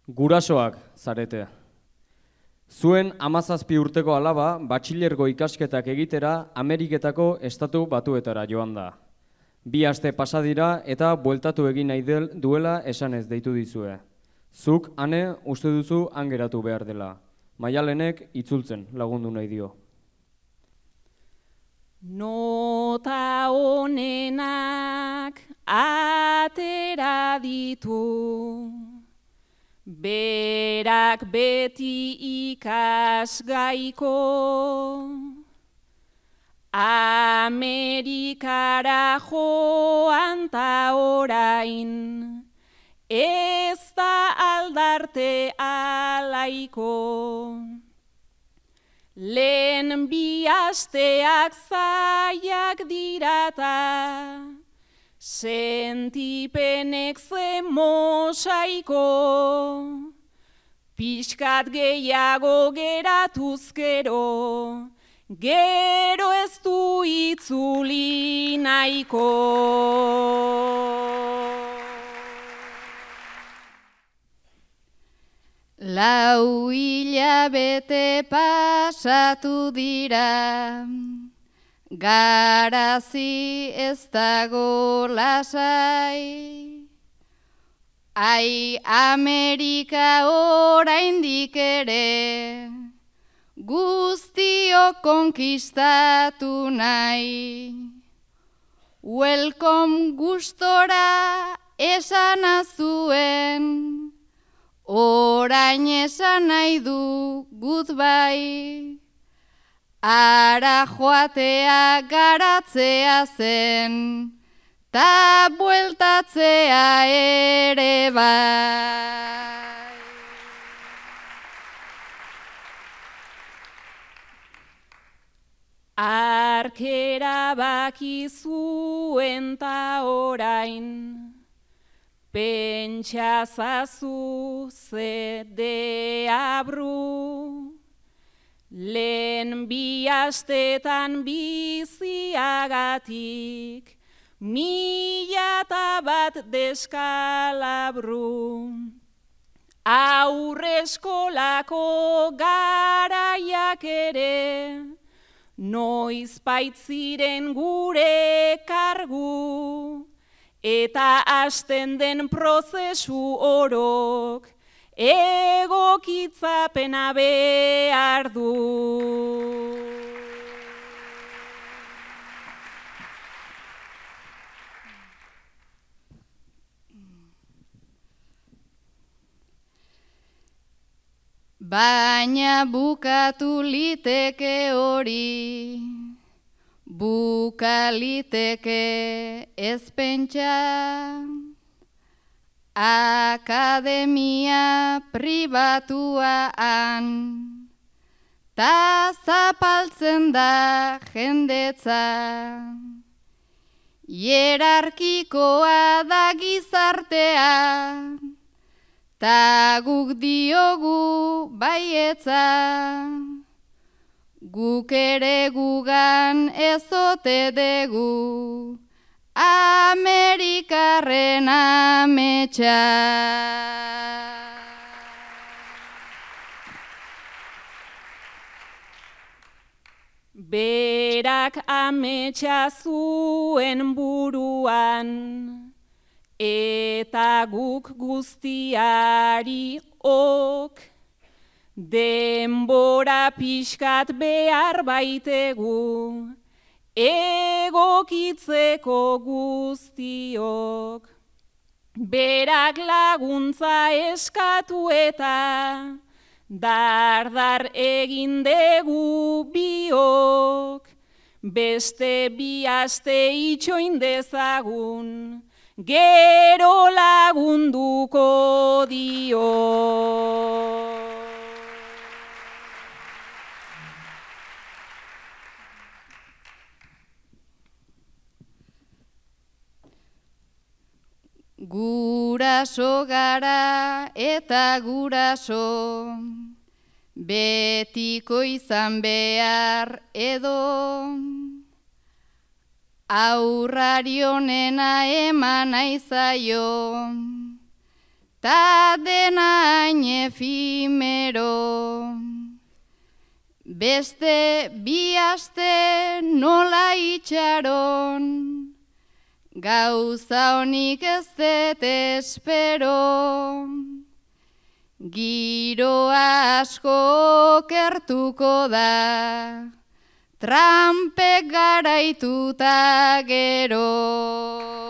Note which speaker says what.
Speaker 1: Gurasoak zarete. Zuen 17 urteko alaba batxilergo ikasketak egitera Ameriketako estatu batuetara joan da. 2 aste pasa dira eta bueltatu egin nahi duela esanez deitu dizue. Zuk ane uste duzu han geratu behar dela. Maialenek itzultzen lagundu nahi dio.
Speaker 2: Nota honenak atera ditu, berak beti ikasgaiko, Amerikara joan ta orain, ez da aldarte alaiko. Lehen 2 asteak zaiak dirata, sentipenek ze mosaiko, pixkat gehiago geratuzkero, gero ez du itzuli nahiko.
Speaker 3: Lau hilabete pasatu dira, garazi ez dago lasai. Ai, Amerika oraindik ere, guztiok konkistatu nahi. Welcome gustora esana zuen, orain esan nahi du goodbye. Ara joatea garatzea zen, ta bueltatzea ere bai.
Speaker 2: Arkera bakizuen ta orain, pentsazazu ze deabru, lehen 2 astetan biziagatik, 1001 deskalabru. Aurreskolako garaiak ere, noiz baitziren gure kargu, eta hasten den prozesu orok, egokitzapena behar du.
Speaker 3: Baina bukatu liteke hori, buka liteke ez pentsa, akademia pribatuan, ta zapaltzen da jendetza. Hierarkikoa da gizartea, ta guk diogu baietza. Guk ere gugan ez ote dugu, Amerikarren ametsa.
Speaker 2: Berak ametsa zuen buruan, eta guk guztiari ok, denbora pixkat behar baitegu, egokitzeko guztiok. Berak laguntza eskatu eta dardar egin dugu biok, beste 2 aste itxoin dezagun, gero lagunduko dio.
Speaker 3: Guraso gara eta guraso, betiko izan behar edo, aurrari honena eman nahi zaio, ta denain efimero. Beste bi aste nola itxaron, gauza honik ez dut espero. Giroa asko kertuko da, trampek garaituta gero.